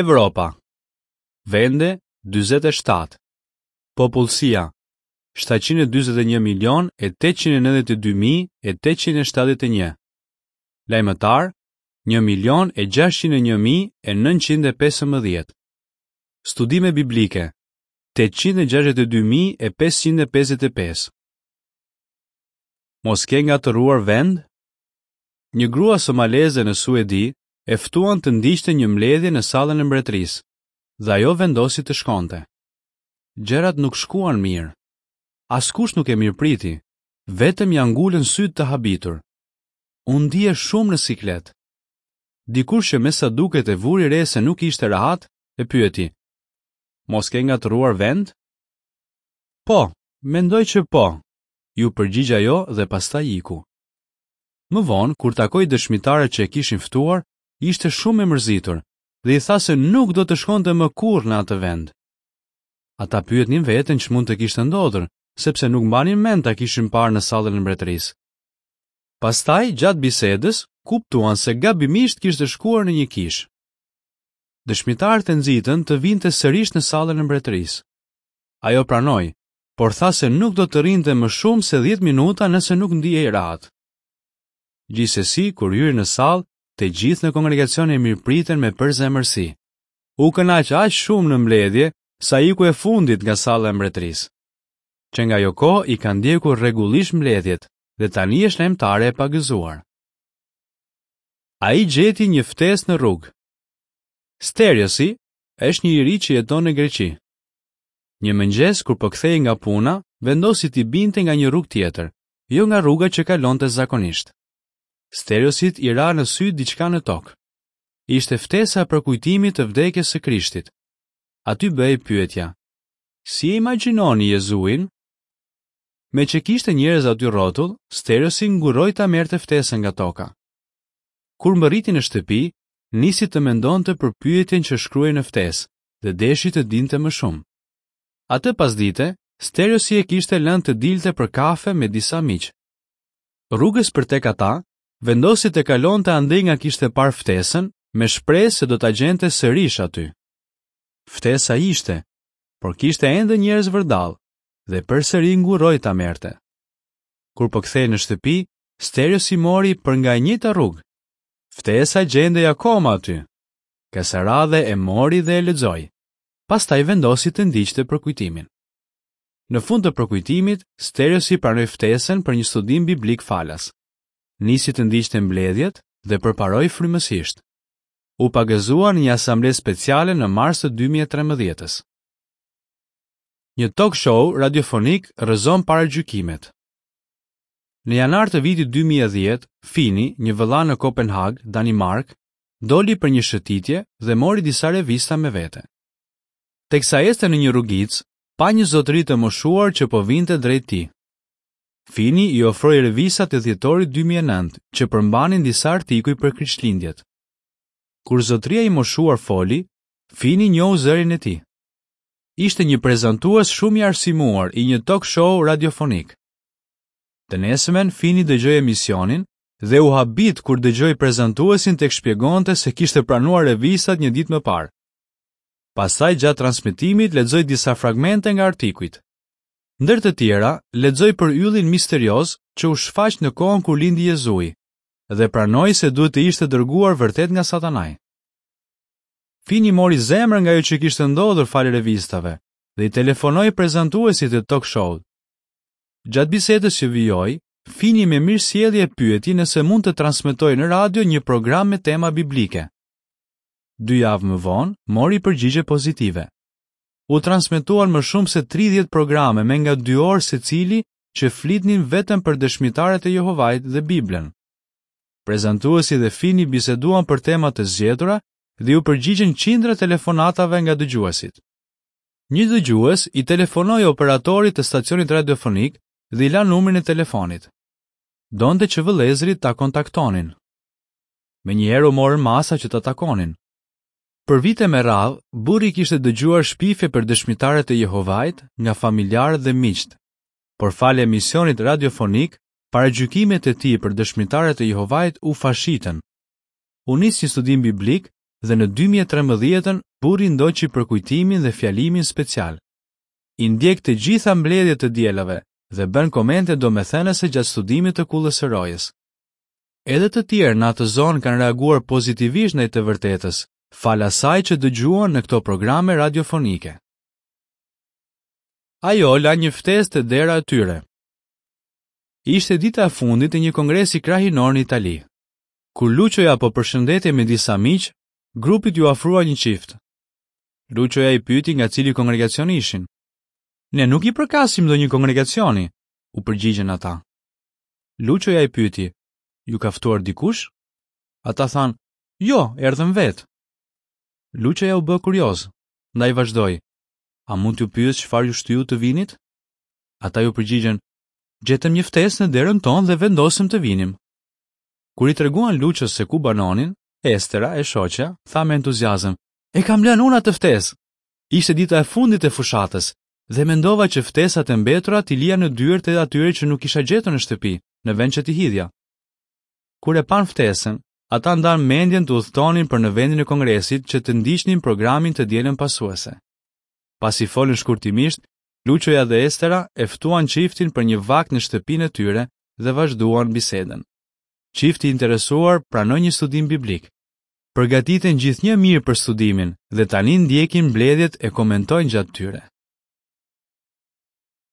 Evropa. Vende 47. Popullsia 741 milion e 892 mijë e 871. Lajmëtarë 1 milion e 601 mijë e 915. Studime biblike 862 mijë e 555. Mos ke ngatërruar vend? Një grua somaleze në Suedi e ftuan të ndiqte një mbledhje në sallën e mbretërisë dhe ajo vendosi të shkonte. Gjërat nuk shkuan mirë. Askush nuk e mirëpriti, vetëm ia ngulën sytë të habitur. U ndie shumë në siklet. Dikush që me sa duket e vuri re se nuk ishte rehat, e pyeti: "Mos ke ngatërruar vend?" Po, mendoj që po, iu përgjigj ajo dhe pastaj iku. Më vonë, kur takoi dëshmitarët që e kishin ftuar, ishte shumë e mërzitur dhe i tha se nuk do të shkonte më kurrë në atë vend. Ata pyetnin veten ç'mund të kishte ndodhur, sepse nuk mbanin mend ta kishin parë në sallën e mbretërisë. Pastaj, gjatë bisedës, kuptuan se gabimisht kishte shkuar në një kishë. Dëshmitarët e nxitën të vinte sërish në sallën e mbretërisë. Ajo pranoi, por tha se nuk do të rrinte më shumë se 10 minuta nëse nuk ndihej rehat. Gjithsesi, kur hyri në sallë, të gjithë në kongregacion e mirëpritën me përzemërsi. U kënaq aq shumë në mbledhje, sa iku e fundit nga salla e mbretërisë. Që nga ajo kohë i ka ndjekur rregullisht mbledhjet dhe tani është lajmëtare e pagëzuar. Ai gjeti një ftesë në rrugë. Steriosi është një i ri që jeton në Greqi. Një mëngjes kur po kthehej nga puna, vendosi t'i binte nga një rrugë tjetër, jo nga rruga që kalonte zakonisht. Steriosit i ra në sy diçka në tokë. Ishte ftesa e përkujtimit të vdekjes së Krishtit. Aty bëhej pyetja: Si e imagjinoni Jezuin? Meqë kishte njerëz aty rrotull, Steriosi ngurroi ta merrte ftesën nga toka. Kur mbërriti në shtëpi, nisi të mendonte për pyetjen që shkruhej në ftesë dhe deshi të dinte më shumë. Atë pasdite, Steriosi e kishte lënë të dilte për kafe me disa miq. Rrugës për tek ata, vendosi të kalonte andej nga kishte parë ftesën, me shpresë se do ta gjente sërish aty. Ftesa ishte, por kishte ende njerëz vërdallë dhe përsëri ngurroi ta merrte. Kur po kthehej në shtëpi, Steriosi mori për nga e njëjta rrugë. Ftesa gjendej akoma aty. Kësaj radhe e mori dhe e lexoi. Pastaj vendosi të ndiqte përkujtimin. Në fund të përkujtimit, Steriosi pranoi ftesën për një studim biblik falas. Nisi të ndiqte mbledhjet dhe përparoi frymësisht. U pagëzua në një asamble speciale në mars të 2013-ës. Një talk show radiofonik rrëzon paragjykimet. Në janar të vitit 2010, Fini, një vëlla në Kopenhagë, Danimarkë, doli për një shëtitje dhe mori disa revista me vete. Teksa ecte në një rrugicë, pa një zotëri të moshuar që po vinte drejt tij. Fini i ofroi revistat e dhjetorit 2009 që përmbanin disa artikuj për Krishtlindjet. Kur zotëria i moshuar foli, Fini njohu zërin e tij. Ishte një prezantues shumë i arsimuar i një talk show radiofonik. Të nesërmen Fini dëgjoi emisionin dhe u habit kur dëgjoi prezantuesin tek shpjegonte se kishte pranuar revistat një ditë më parë. Pastaj gjatë transmetimit lexoi disa fragmente nga artikujt. Ndër të tjera, lexoi për yllin misterioz që u shfaq në kohën kur lindi Jezui dhe pranoi se duhet të ishte dërguar vërtet nga Satanai. Fini mori zemër nga ajo që kishte ndodhur falë revistave dhe i telefonoi prezantuesit të talk show. Gjatë bisedës që vijoi, Fini me mirësjellje e pyeti nëse mund të transmetojë në radio një program me tema biblike. Dy javë më vonë, mori përgjigje pozitive. U transmetuan më shumë se 30 programe me nga dy orë secili që flitnin vetëm për dëshmitarët e Jehovait dhe Biblën. Prezantuesi dhe Fini biseduan për tema të zgjedhura dhe iu përgjigjën qindra telefonatave nga dëgjuesit. Një dëgjues i telefonoi operatorit të stacionit radiofonik dhe i la numrin e telefonit. Donte që vëllezërit ta kontaktonin. Menjëherë u morën masa që ta takonin. Për vite me radhë, burri kishte dëgjuar shpifje për dëshmitarët e Jehovait nga familjarët dhe miqtë. Por falë emisionit radiofonik, paragjykimet e tij për dëshmitarët e Jehovait u fashitën. U nis një studim biblik dhe në 2013-ën burri ndoqi përkujtimin dhe fjalimin special. I ndjek të gjitha mbledhjet të dielave dhe bën komente domethënëse gjatë studimit të Kullës së Rojës. Edhe të tjerë në atë zonë kanë reaguar pozitivisht ndaj të vërtetës, falë asaj që dëgjuan në këto programe radiofonike. Ajo la një ftesë te dera e tyre. Ishte dita e fundit e një kongresi krahinor në Itali. Kur Luçoja po përshëndetej me disa miq, grupit iu afrua një çift. Luçoja i pyeti nga cili kongregacion ishin. Ne nuk i përkasim ndonjë kongregacioni, u përgjigjën ata. Luçoja i pyeti, Ju ka ftuar dikush? Ata thanë, Jo, erdhëm vetë. Luçoja u bë kurioz, ndaj vazhdoi, A mund t'ju pyes çfarë ju shtyu të vinit? Ata iu përgjigjën, Gjetëm një ftesë në derën tonë dhe vendosëm të vinim. Kur i treguan Luços se ku banonin, Estera, e shoqja, tha me entuziazëm, E kam lënë unë atë ftesë. Ishte dita e fundit e fushatës dhe mendova që ftesat e mbetura t'i lija në dyert e atyre që nuk kisha gjetur në shtëpi, në vend që t'i hidhja. Kur e panë ftesën, ata ndanë mendjen të udhëtonin për në vendin e kongresit që të ndiqnin programin të dielën pasuese. Pasi folën shkurtimisht, Luçoja dhe Estera e ftuan çiftin për një vakt në shtëpinë e tyre dhe vazhduan bisedën. Çifti i interesuar pranoi një studim biblik. Përgatiten gjithnjë mirë për studimin dhe tani ndjekin mbledhjet e komentojnë gjatë tyre.